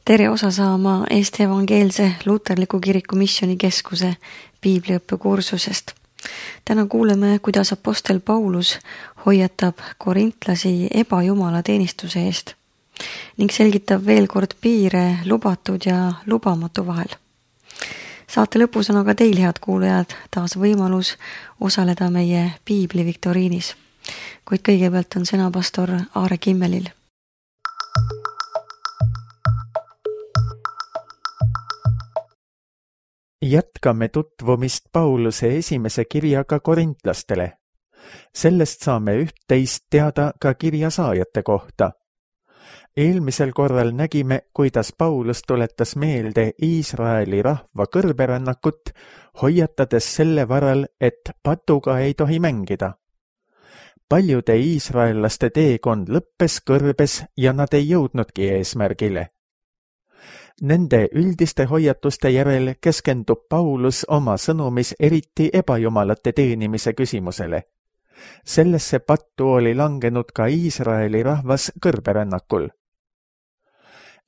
Tere osa saama Eesti Evangeelse Luterliku Kiriku Missioonikeskuse piibliõppekursusest. Täna kuuleme, kuidas apostel Paulus hoiatab korintlasi ebajumala teenistuse eest ning selgitab veel kord piire lubatud ja lubamatu vahel. Saate lõpus on aga teil, head kuulajad, taas võimalus osaleda meie piibli viktoriinis. Kuid kõigepealt on sõna pastor Aare Kimmelil. Jätkame tutvumist Pauluse esimese kirjaga korintlastele. Sellest saame üht-teist teada ka kirja saajate kohta. Eelmisel korral nägime, kuidas Paulus tuletas meelde Iisraeli rahva kõrberännakut, hoiatades selle varal, et patuga ei tohi mängida. Paljude iisraellaste teekond lõppes kõrbes ja nad ei jõudnudki eesmärgile. Nende üldiste hoiatuste järel keskendub Paulus oma sõnumis eriti ebajumalate teenimise küsimusele. Sellesse pattu oli langenud ka Iisraeli rahvas kõrberännakul.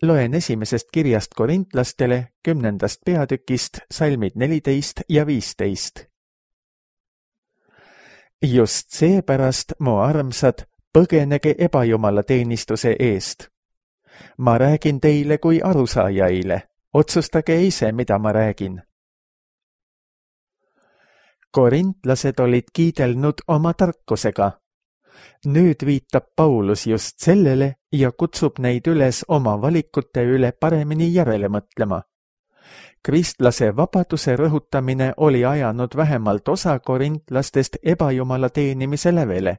Loen esimesest kirjast korintlastele 10. peatükist salmid 14 ja 15. Just seepärast, mu armsad, põgenege ebajumala teenistuse eest. Ma räägin teile kui arusaajaile. Otsustage ise, mida ma räägin. Korintlased olid kiidelnud oma tarkusega. Nüüd viitab Paulus just sellele ja kutsub neid üles oma valikute üle paremini järele mõtlema. Kristlase vabaduse rõhutamine oli ajanud vähemalt osa korintlastest ebajumala teenimise lävele.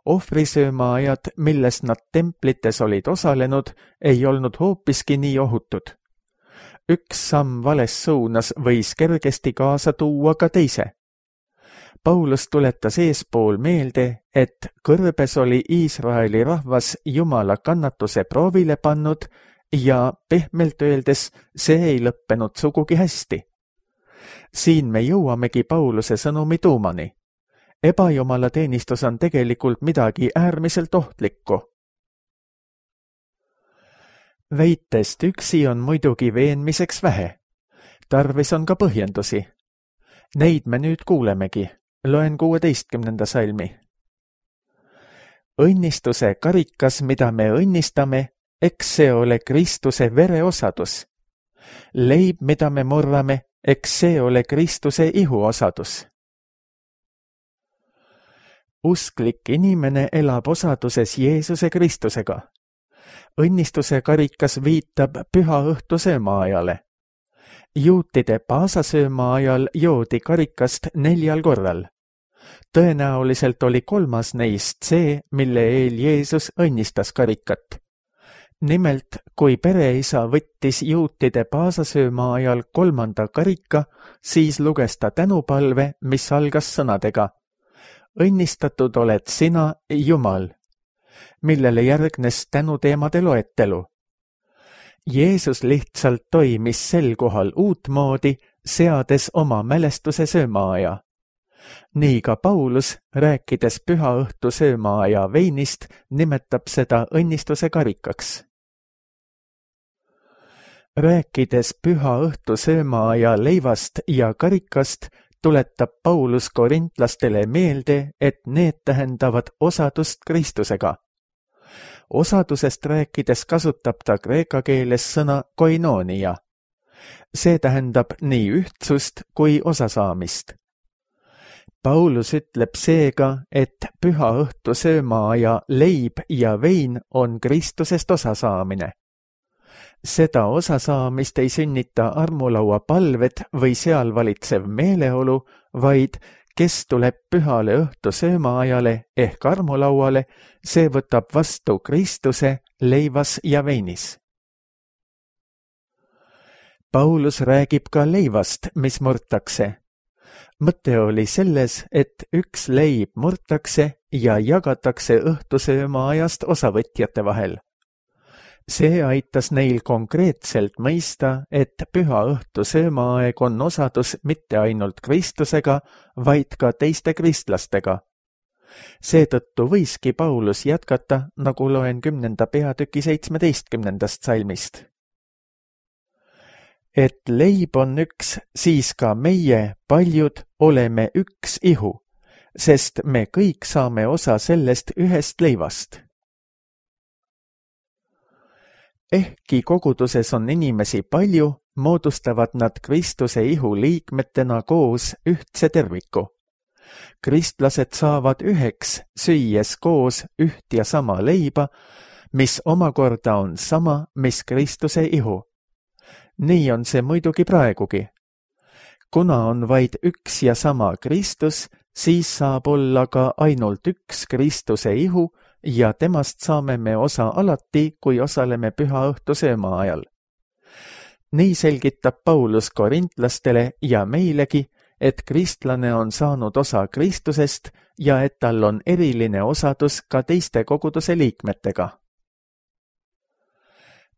Ohvrisöömaajad, milles nad templites olid osalenud, ei olnud hoopiski nii ohutud. Üks samm vales suunas võis kergesti kaasa tuua ka teise. Paulus tuletas eespool meelde, et kõrbes oli Iisraeli rahvas Jumala kannatuse proovile pannud ja pehmelt öeldes see ei lõppenud sugugi hästi. Siin me jõuamegi Pauluse sõnumi tuumani. Ebajumala teenistus on tegelikult midagi äärmiselt ohtlikku. Väitest üksi on muidugi veenmiseks vähe. Tarvis on ka põhjendusi. Neid me nüüd kuulemegi. Loen 16. salmi. Õnnistuse karikas, mida me õnnistame, eks see ole Kristuse vereosadus. Leib, mida me murrame, eks see ole Kristuse ihuosadus. Usklik inimene elab osaduses Jeesuse Kristusega. Õnnistuse karikas viitab püha õhtu söömaajale. Juutide paasasööma ajal joodi karikast 4 korral. Tõenäoliselt oli 3. neist see, mille eel Jeesus õnnistas karikat. Nimelt, kui pereisa võttis juutide paasasööma ajal 3. karika, siis luges ta tänupalve, mis algas sõnadega: õnnistatud oled sina, Jumal, millele järgnes tänuteemade loetelu. Jeesus lihtsalt toimis sel kohal uutmoodi, seades oma mälestuse söömaaja. Nii ka Paulus, rääkides püha õhtu söömaaja veinist, nimetab seda õnnistuse karikaks. Rääkides püha õhtu söömaaja leivast ja karikast, tuletab Paulus korintlastele meelde, et need tähendavad osadust Kristusega. Osadusest rääkides kasutab ta kreeka keeles sõna koinoonia. See tähendab nii ühtsust kui osasaamist. Paulus ütleb seega, et püha õhtu söömaaja leib ja vein on Kristusest osasaamine. Seda osasaamist ei sünnita armulaua palved või seal valitsev meeleolu, vaid kes tuleb pühale õhtu söömaajale ehk armulauale, see võtab vastu Kristuse leivas ja veinis. Paulus räägib ka leivast, mis murtakse. Mõte oli selles, et üks leib murtakse ja jagatakse õhtusöömaajast osavõtjate vahel. See aitas neil konkreetselt mõista, et püha õhtu söömaaeg on osadus mitte ainult Kristusega, vaid ka teiste kristlastega. Seetõttu võiski Paulus jätkata, nagu loen 10. peatüki 17. salmist. Et leib on üks, siis ka meie, paljud, oleme üks ihu, sest me kõik saame osa sellest ühest leivast. Ehkki koguduses on inimesi palju, moodustavad nad Kristuse ihu liikmetena koos ühtse terviku. Kristlased saavad üheks, süües koos üht ja sama leiba, mis omakorda on sama, mis Kristuse ihu. Nii on see muidugi praegugi. Kuna on vaid üks ja sama Kristus, siis saab olla ka ainult üks Kristuse ihu ja temast saame me osa alati, kui osaleme pühaõhtu sööma ajal. Nii selgitab Paulus korintlastele ja meilegi, et kristlane on saanud osa Kristusest ja et tal on eriline osadus ka teiste koguduse liikmetega.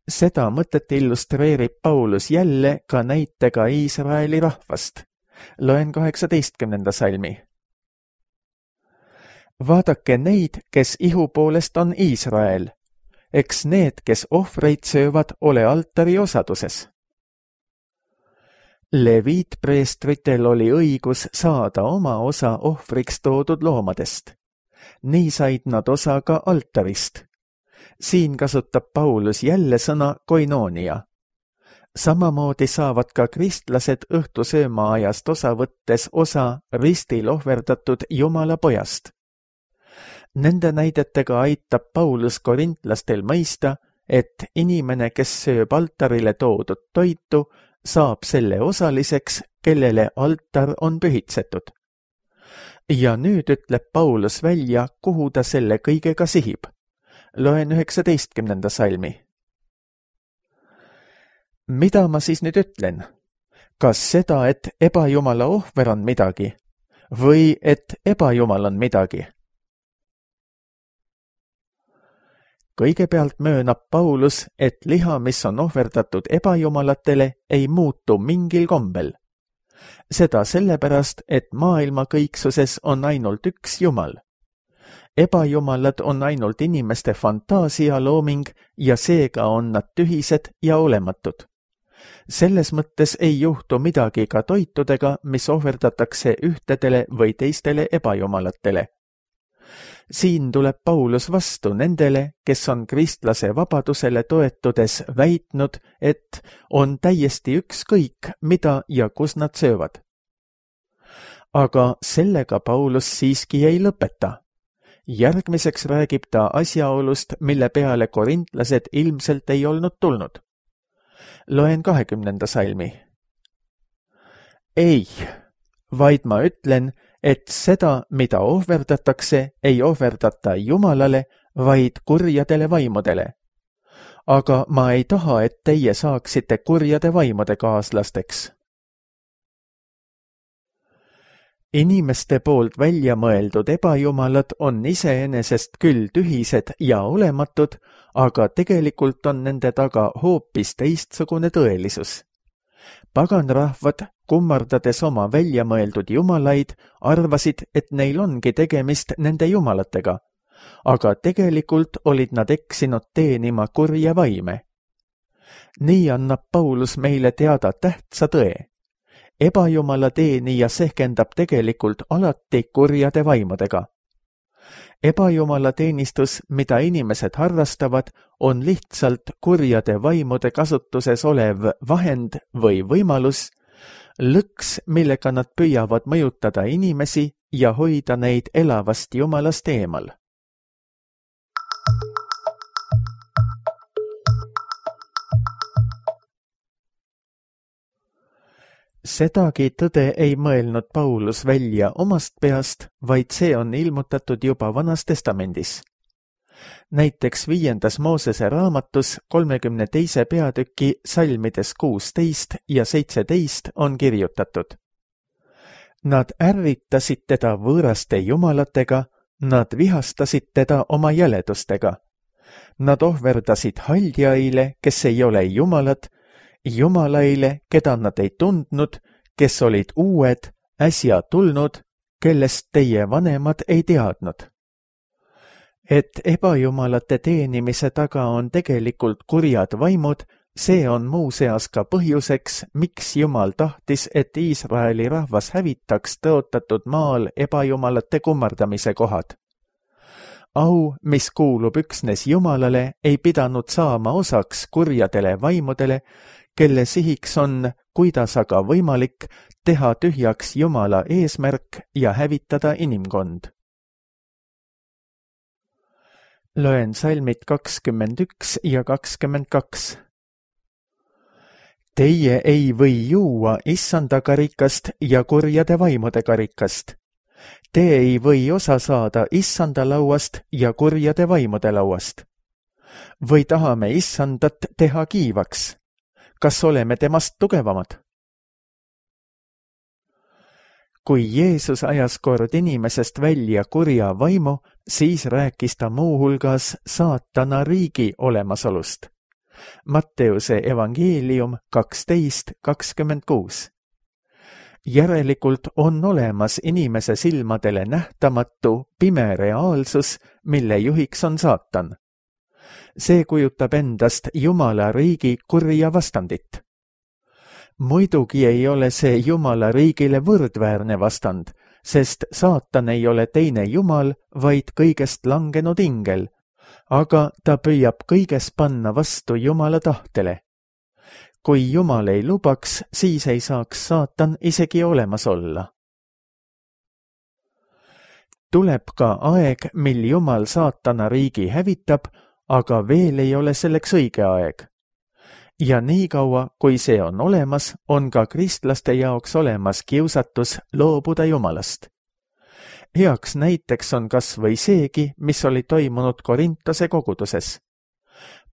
Seda mõtet illustreerib Paulus jälle ka näitega Iisraeli rahvast. Loen 18. salmi. Vaadake neid, kes ihu poolest on Iisrael. Eks need, kes ohvreid söövad, ole altari osaduses. Leviitpreestritel oli õigus saada oma osa ohvriks toodud loomadest. Nii said nad osa ka altarist. Siin kasutab Paulus jälle sõna koinoonia. Samamoodi saavad ka kristlased õhtusööma ajast osa võttes osa ristil ohverdatud Jumala pojast. Nende näidetega aitab Paulus korintlastel mõista, et inimene, kes sööb altarile toodud toitu, saab selle osaliseks, kellele altar on pühitsetud. Ja nüüd ütleb Paulus välja, kuhu ta selle kõigega sihib. Loen 19. salmi. Mida ma siis nüüd ütlen? Kas seda, et ebajumala ohver on midagi? Või et ebajumal on midagi? Kõigepealt möönab Paulus, et liha, mis on ohverdatud ebajumalatele, ei muutu mingil kombel. Seda sellepärast, et maailma kõiksuses on ainult üks Jumal. Ebajumalad on ainult inimeste fantaasia looming ja seega on nad tühised ja olematud. Selles mõttes ei juhtu midagi ka toitudega, mis ohverdatakse ühtedele või teistele ebajumalatele. Siin tuleb Paulus vastu nendele, kes on kristlase vabadusele toetudes väitnud, et on täiesti ükskõik, mida ja kus nad söövad. Aga sellega Paulus siiski ei lõpeta. Järgmiseks räägib ta asjaolust, mille peale korintlased ilmselt ei olnud tulnud. Loen 20. salmi. Ei, vaid ma ütlen, et seda, mida ohverdatakse, ei ohverdata Jumalale, vaid kurjadele vaimudele. Aga ma ei taha, et teie saaksite kurjade vaimude kaaslasteks. Inimeste poolt välja mõeldud ebajumalad on iseenesest küll tühised ja olematud, aga tegelikult on nende taga hoopis teistsugune tõelisus. Paganrahvad, kummardades oma välja mõeldud jumalaid, arvasid, et neil ongi tegemist nende jumalatega, aga tegelikult olid nad eksinud teenima kurja vaime. Nii annab Paulus meile teada tähtsa tõe. Ebajumala teenija sehkendab tegelikult alati kurjade vaimudega. Ebajumala teenistus, mida inimesed harrastavad, on lihtsalt kurjade vaimude kasutuses olev vahend või võimalus, lõks, millega nad püüavad mõjutada inimesi ja hoida neid elavast Jumalast eemal. Sedagi tõde ei mõelnud Paulus välja omast peast, vaid see on ilmutatud juba Vanas Testamendis. Näiteks 5. Moosese raamatus 32. peatüki salmides 16 ja 17 on kirjutatud. Nad ärritasid teda võõraste jumalatega, nad vihastasid teda oma jäledustega. Nad ohverdasid haldjaile, kes ei ole jumalad, jumalaile, keda nad ei tundnud, kes olid uued, äsja tulnud, kellest teie vanemad ei teadnud. Et ebajumalate teenimise taga on tegelikult kurjad vaimud, See on muuseas ka põhjuseks, miks Jumal tahtis, et Iisraeli rahvas hävitaks tõotatud maal ebajumalate kummardamise kohad. Au, mis kuulub üksnes Jumalale, ei pidanud saama osaks kurjadele vaimudele, kelle sihiks on, kuidas aga võimalik, teha tühjaks Jumala eesmärk ja hävitada inimkond. Loen salmid 21 ja 22. Teie ei või juua issanda karikast ja kurjade vaimude karikast. Te ei või osa saada issanda lauast ja kurjade vaimude lauast. Või tahame issandat teha kiivaks? Kas oleme temast tugevamad? Kui Jeesus ajas kord inimesest välja kurja vaimu, siis rääkis ta muuhulgas saatana riigi olemasolust. Matteuse evangeelium 12:26. Järelikult on olemas inimese silmadele nähtamatu, pime reaalsus, mille juhiks on saatan. See kujutab endast Jumala riigi kurja vastandit. Muidugi ei ole see Jumala riigile võrdväärne vastand, sest saatan ei ole teine Jumal, vaid kõigest langenud ingel, aga ta püüab kõiges panna vastu Jumala tahtele. Kui Jumal ei lubaks, siis ei saaks saatan isegi olemas olla. Tuleb ka aeg, mil Jumal saatana riigi hävitab, aga veel ei ole selleks õige aeg. Ja niikaua, kui see on olemas, on ka kristlaste jaoks olemas kiusatus loobuda Jumalast. Heaks näiteks on kas või seegi, mis oli toimunud Korintose koguduses.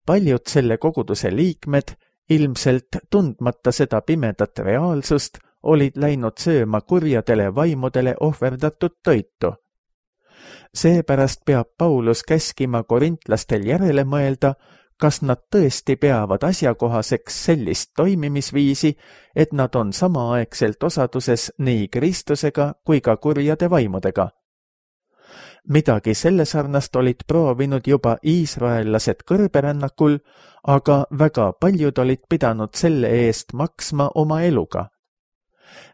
Paljud selle koguduse liikmed, ilmselt tundmata seda pimedat reaalsust, olid läinud sööma kurjadele vaimudele ohverdatud toitu. Seepärast peab Paulus käskima korintlastel järele mõelda, kas nad tõesti peavad asjakohaseks sellist toimimisviisi, et nad on samaaegselt osaduses nii Kristusega kui ka kurjade vaimudega. Midagi selle sarnast olid proovinud juba iisraellased kõrberännakul, aga väga paljud olid pidanud selle eest maksma oma eluga.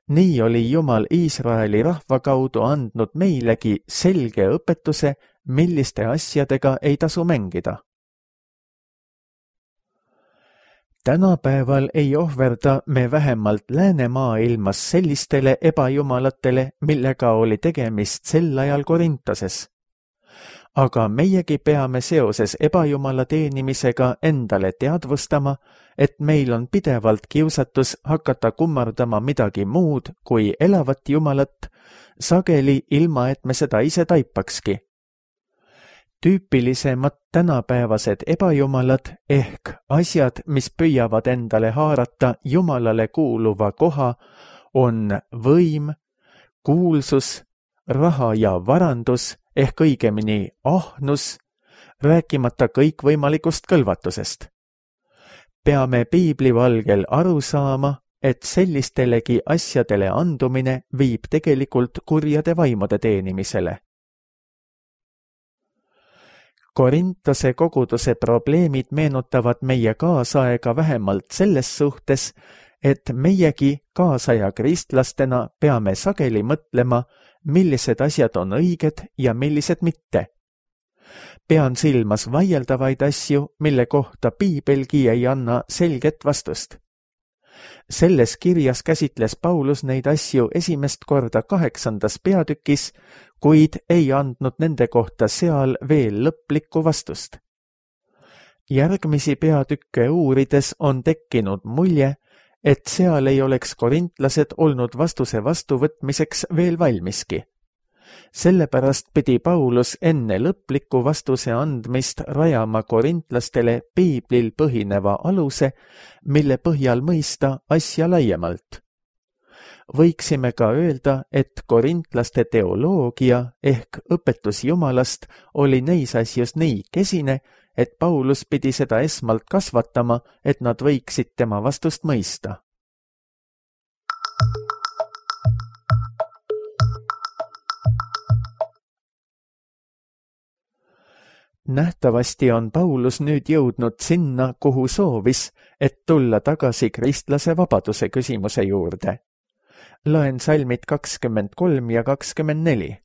Nii oli Jumal Iisraeli rahva kaudu andnud meilegi selge õpetuse, milliste asjadega ei tasu mängida. Tänapäeval ei ohverda me vähemalt läänemaailmas sellistele ebajumalatele, millega oli tegemist sel ajal Korintoses. Aga meiegi peame seoses ebajumala teenimisega endale teadvustama, et meil on pidevalt kiusatus hakata kummardama midagi muud kui elavat Jumalat, sageli ilma, et me seda ise taipakski. Tüüpilisemad tänapäevased ebajumalad ehk asjad, mis püüavad endale haarata Jumalale kuuluva koha, on võim, kuulsus, raha ja varandus ehk õigemini ahnus, rääkimata kõikvõimalikust kõlvatusest. Peame piibli valgel aru saama, et sellistelegi asjadele andumine viib tegelikult kurjade vaimude teenimisele. Korintose koguduse probleemid meenutavad meie kaasaega vähemalt selles suhtes, et meiegi kaasaja kristlastena peame sageli mõtlema, millised asjad on õiged ja millised mitte. Pean silmas vaieldavaid asju, mille kohta piibelgi ei anna selget vastust. Selles kirjas käsitles Paulus neid asju esimest korda 8. peatükis, kuid ei andnud nende kohta seal veel lõplikku vastust. Järgmisi peatükke uurides on tekkinud mulje, et seal ei oleks korintlased olnud vastuse vastuvõtmiseks veel valmiski. Sellepärast pidi Paulus enne lõpliku vastuse andmist rajama korintlastele piiblil põhineva aluse, mille põhjal mõista asja laiemalt. Võiksime ka öelda, et korintlaste teoloogia ehk õpetus Jumalast oli neis asjus nii kesine, et Paulus pidi seda esmalt kasvatama, et nad võiksid tema vastust mõista. Nähtavasti on Paulus nüüd jõudnud sinna, kuhu soovis, et tulla tagasi kristlase vabaduse küsimuse juurde. Loen salmid 23 ja 24.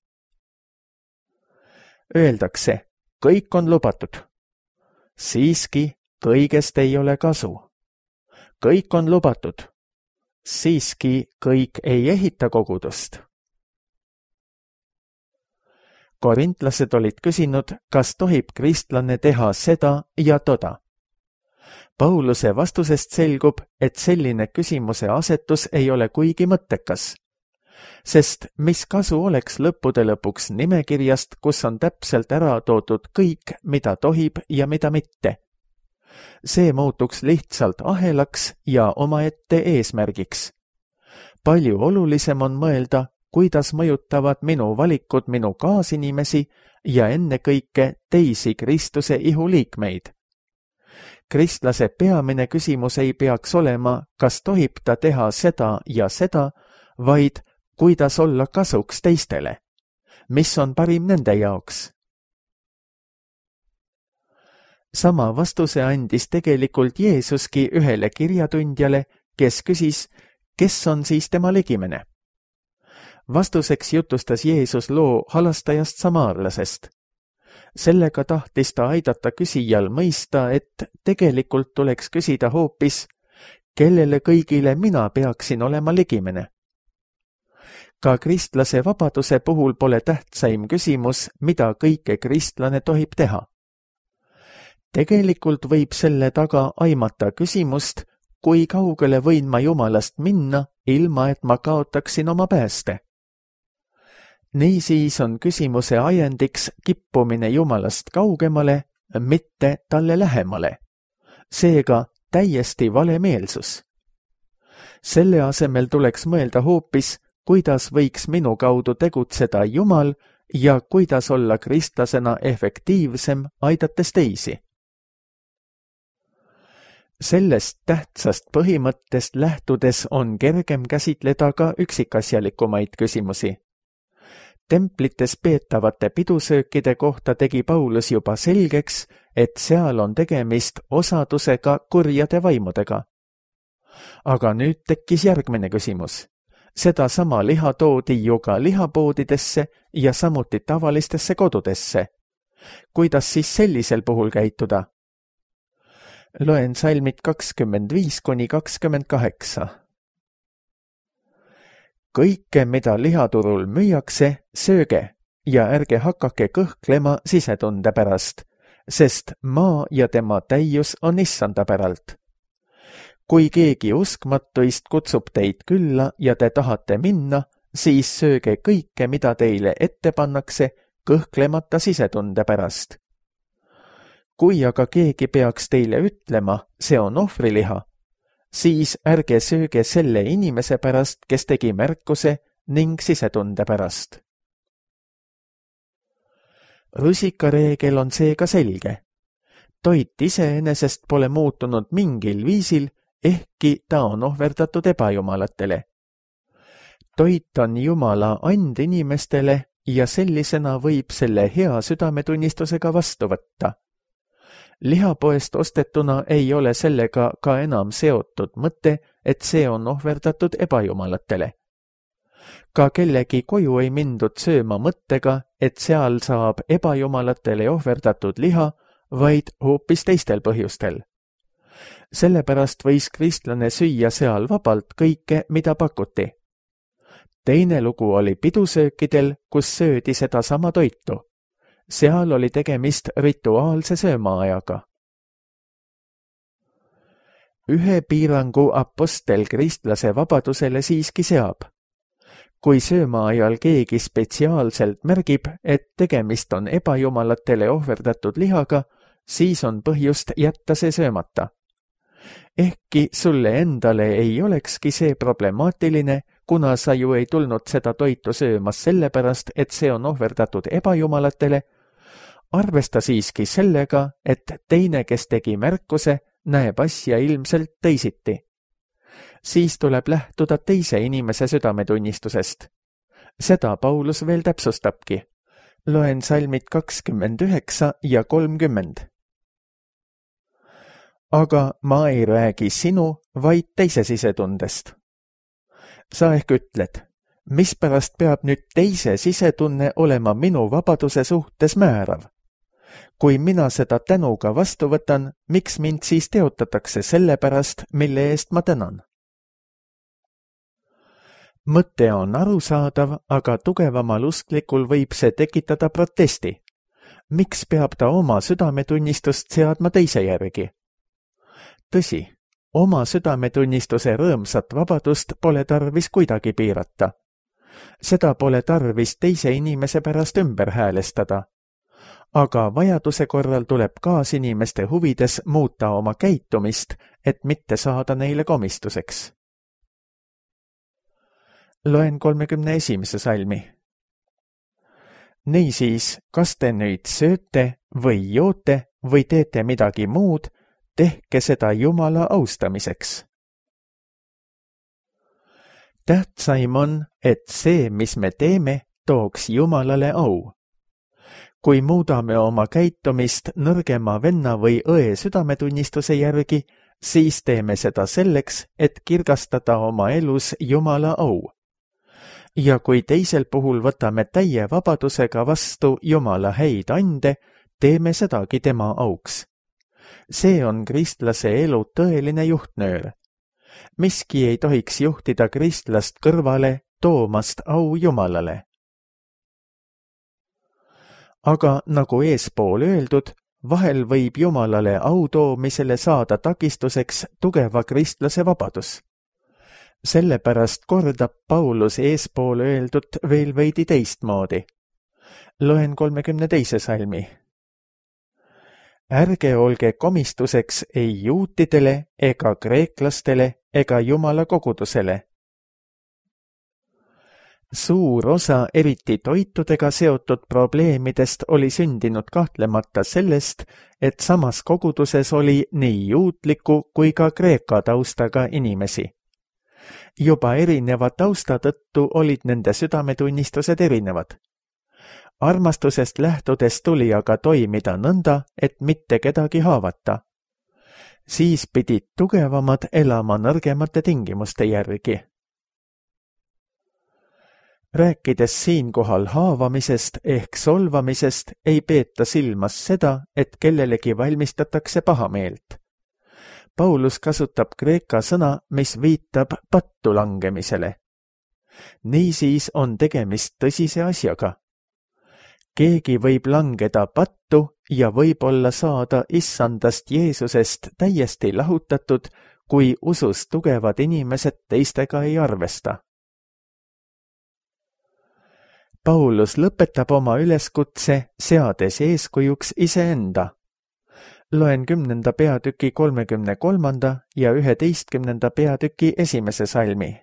Öeldakse, kõik on lubatud. Siiski kõigest ei ole kasu. Kõik on lubatud. Siiski kõik ei ehita kogudust. Korintlased olid küsinud, kas tohib kristlane teha seda ja toda. Pauluse vastusest selgub, et selline küsimuse asetus ei ole kuigi mõttekas, sest mis kasu oleks lõppude lõpuks nimekirjast, kus on täpselt ära toodud kõik, mida tohib ja mida mitte. See muutuks lihtsalt ahelaks ja omaette eesmärgiks. Palju olulisem on mõelda, kuidas mõjutavad minu valikud minu kaasinimesi ja ennekõike teisi Kristuse ihuliikmeid. Kristlase peamine küsimus ei peaks olema, kas tohib ta teha seda ja seda, vaid kuidas olla kasuks teistele. Mis on parim nende jaoks? Sama vastuse andis tegelikult Jeesuski ühele kirjatundjale, kes küsis, kes on siis tema ligimene. Vastuseks jutustas Jeesus loo halastajast samaarlasest. Sellega tahtis ta aidata küsijal mõista, et tegelikult tuleks küsida hoopis, kellele kõigile mina peaksin olema ligimene. Ka kristlase vabaduse puhul pole tähtsaim küsimus, mida kõike kristlane tohib teha. Tegelikult võib selle taga aimata küsimust, kui kaugele võin ma Jumalast minna, ilma et ma kaotaksin oma pääste. Niisiis on küsimuse ajendiks kippumine Jumalast kaugemale, mitte talle lähemale. Seega täiesti vale meelsus. Selle asemel tuleks mõelda hoopis, kuidas võiks minu kaudu tegutseda Jumal ja kuidas olla kristlasena efektiivsem, aidates teisi. Sellest tähtsast põhimõttest lähtudes on kergem käsitleda ka üksikasjalikumaid küsimusi. Templites peetavate pidusöökide kohta tegi Paulus juba selgeks, et seal on tegemist osadusega kurjade vaimudega. Aga nüüd tekkis järgmine küsimus. Sedasama liha toodi ju ka lihapoodidesse ja samuti tavalistesse kodudesse. Kuidas siis sellisel puhul käituda? Loen salmid 25–28. Kõike, mida lihaturul müüakse, sööge ja ärge hakake kõhklema sisetunde pärast, sest maa ja tema täius on Issanda päralt. Kui keegi uskmatuist kutsub teid külla ja te tahate minna, siis sööge kõike, mida teile ette pannakse, kõhklemata sisetunde pärast. Kui aga keegi peaks teile ütlema, see on ohvriliha, siis ärge sööge selle inimese pärast, kes tegi märkuse ning sisetunde pärast. Rusikareegel on seega selge. Toit iseenesest pole muutunud mingil viisil, ehkki ta on ohverdatud ebajumalatele. Toit on Jumala and inimestele ja sellisena võib selle hea südametunnistusega vastu võtta. Lihapoest ostetuna ei ole sellega ka enam seotud mõte, et see on ohverdatud ebajumalatele. Ka kellegi koju ei mindud sööma mõttega, et seal saab ebajumalatele ohverdatud liha, vaid hoopis teistel põhjustel. Sellepärast võis kristlane süüa seal vabalt kõike, mida pakuti. Teine lugu oli pidusöökidel, kus söödi sedasama toitu. Seal oli tegemist rituaalse söömaajaga. Ühe piirangu apostel kristlase vabadusele siiski seab. Kui söömaajal keegi spetsiaalselt märgib, et tegemist on ebajumalatele ohverdatud lihaga, siis on põhjust jätta see söömata. Ehkki sulle endale ei olekski see problemaatiline, kuna sa ju ei tulnud seda toitu söömas sellepärast, et see on ohverdatud ebajumalatele, arvesta siiski sellega, et teine, kes tegi märkuse, näeb asja ilmselt teisiti. Siis tuleb lähtuda teise inimese südametunnistusest. Seda Paulus veel täpsustabki. Loen salmid 29 ja 30. Aga ma ei räägi sinu, vaid teise sisetundest. Sa ehk ütled, mispärast peab nüüd teise sisetunne olema minu vabaduse suhtes määrav? Kui mina seda tänuga vastu võtan, miks mind siis teotatakse selle pärast, mille eest ma tänan? Mõte on arusaadav, aga tugevamal usklikul võib see tekitada protesti. Miks peab ta oma südametunnistust seadma teise järgi? Tõsi, oma südametunnistuse rõõmsat vabadust pole tarvis kuidagi piirata. Seda pole tarvis teise inimese pärast ümber häälestada. Aga vajaduse korral tuleb kaasinimeste huvides muuta oma käitumist, et mitte saada neile komistuseks. Loen 31. salmi. Niisiis, kas te nüüd sööte või joote või teete midagi muud, tehke seda Jumala austamiseks. Tähtsaim on, et see, mis me teeme, tooks Jumalale au. Kui muudame oma käitumist nõrgema venna või õe südametunnistuse järgi, siis teeme seda selleks, et kirgastada oma elus Jumala au. Ja kui teisel puhul võtame täie vabadusega vastu Jumala häid ande, teeme sedagi tema auks. See on kristlase elu tõeline juhtnöör. Miski ei tohiks juhtida kristlast kõrvale, toomast au Jumalale. Aga nagu eespool öeldud, vahel võib Jumalale au toomisele saada takistuseks tugeva kristlase vabadus. Sellepärast kordab Paulus eespool öeldud veel veidi teistmoodi. Loen 32. salmi. Ärge olge komistuseks ei juutidele ega kreeklastele ega Jumala kogudusele. Suur osa eriti toitudega seotud probleemidest oli sündinud kahtlemata sellest, et samas koguduses oli nii juutliku kui ka kreeka taustaga inimesi. Juba erineva tausta tõttu olid nende südametunnistused erinevad. Armastusest lähtudes tuli aga toimida nõnda, et mitte kedagi haavata. Siis pidid tugevamad elama nõrgemate tingimuste järgi. Rääkides siinkohal haavamisest ehk solvamisest, ei peeta silmas seda, et kellelegi valmistatakse pahameelt. Paulus kasutab kreeka sõna, mis viitab pattu langemisele. Niisiis on tegemist tõsise asjaga. Keegi võib langeda pattu ja võib-olla saada issandast Jeesusest täiesti lahutatud, kui usus tugevad inimesed teistega ei arvesta. Paulus lõpetab oma üleskutse, seades eeskujuks iseenda. Loen 10. peatüki 33. ja 11. peatüki 1. salmi.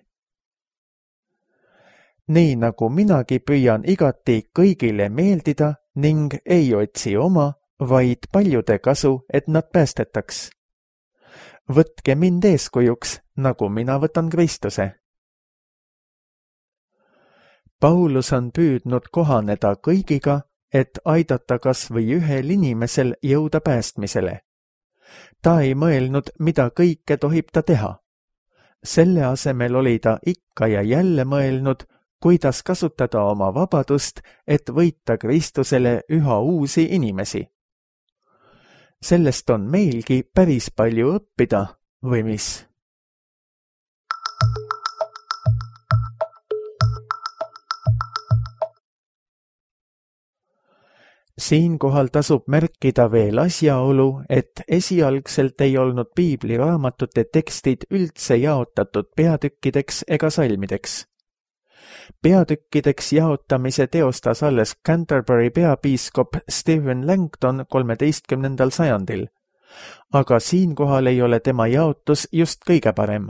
Nii nagu minagi püüan igati kõigile meeldida ning ei otsi oma, vaid paljude kasu, et nad päästetaks. Võtke mind eeskujuks, nagu mina võtan Kristuse. Paulus on püüdnud kohaneda kõigiga, et aidata kas või ühel inimesel jõuda päästmisele. Ta ei mõelnud, mida kõike tohib ta teha. Selle asemel oli ta ikka ja jälle mõelnud, kuidas kasutada oma vabadust, et võita Kristusele üha uusi inimesi. Sellest on meilgi päris palju õppida, või mis? Siinkohal tasub märkida veel asjaolu, et esialgselt ei olnud piibliraamatute tekstid üldse jaotatud peatükkideks ega salmideks. Peatükkideks jaotamise teostas alles Canterbury peapiiskop Stephen Langton 13. sajandil, aga siinkohal ei ole tema jaotus just kõige parem.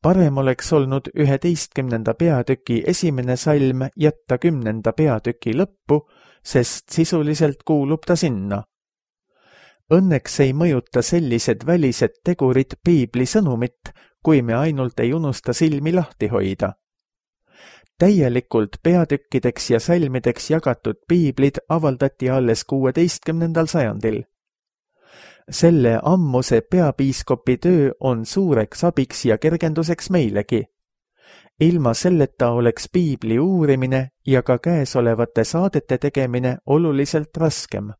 Parem oleks olnud 11. peatüki 1. salm jätta 10. peatüki lõppu, sest sisuliselt kuulub ta sinna. Õnneks ei mõjuta sellised välised tegurid piibli sõnumit, kui me ainult ei unusta silmi lahti hoida. täielikult peatükkideks ja salmideks jagatud piiblid avaldati alles 16. sajandil. Selle ammuse peapiiskopi töö on suureks abiks ja kergenduseks meilegi. Ilma selleta oleks piibli uurimine ja ka käesolevate saadete tegemine oluliselt raskem.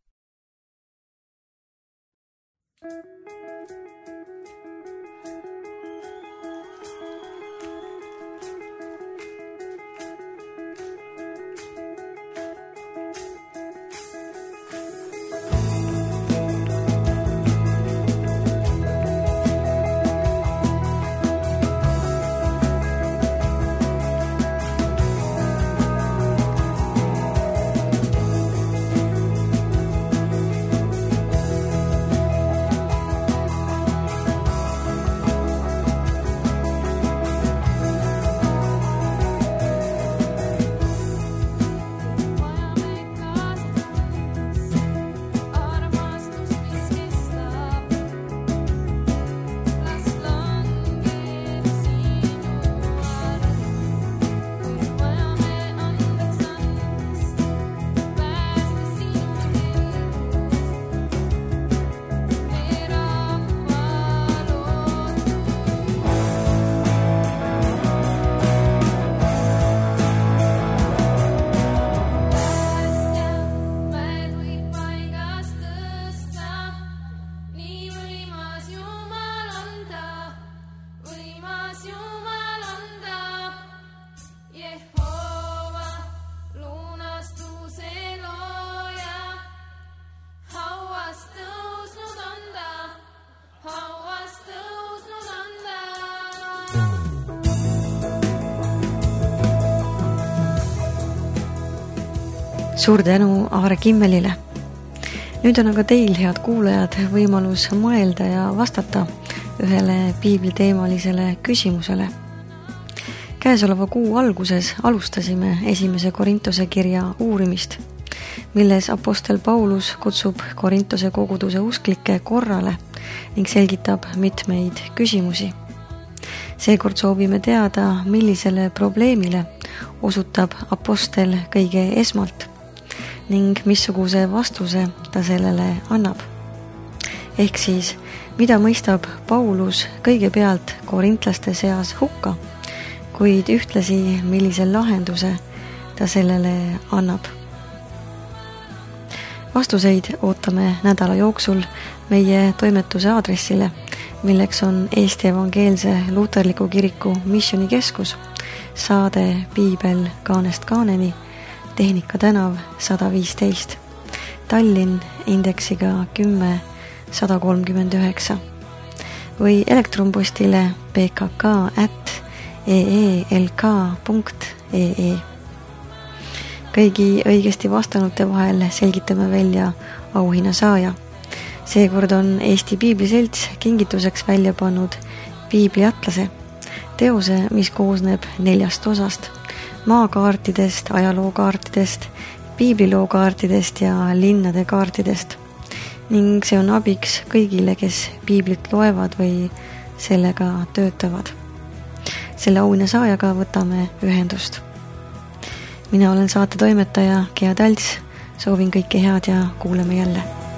Suur tänu Aare Kimmelile. Nüüd on aga teil, head kuulajad, võimalus mõelda ja vastata ühele piibliteemalisele küsimusele. Käesoleva kuu alguses alustasime 1. Korintuse kirja uurimist, milles apostel Paulus kutsub Korintuse koguduse usklikke korrale ning selgitab mitmeid küsimusi. Seekord soovime teada, millisele probleemile osutab apostel kõige esmalt ning missuguse vastuse ta sellele annab. Ehk siis, mida mõistab Paulus kõigepealt korintlaste seas hukka, kuid ühtlasi millise lahenduse ta sellele annab. Vastuseid ootame nädala jooksul meie toimetuse aadressile, milleks on Eesti Evangeelse Luterliku Kiriku Missioonikeskus, saade Piibel kaanest kaaneni, Tehnika tänav 115, Tallinn indeksiga 10139 või elektronpostile pkk@eelk.ee. Kõigi õigesti vastanute vahel selgitame välja auhinna saaja. Seekord on Eesti Piibliselts kingituseks välja pannud piibliatlase, teose, mis koosneb 4 osast: maakaartidest, ajalookaartidest, piiblilookaartidest ja linnade kaartidest. Ning see on abiks kõigile, kes piiblit loevad või sellega töötavad. Selle auhinna saajaga võtame ühendust. Mina olen saate toimetaja Gea Talts, soovin kõike head ja kuuleme jälle.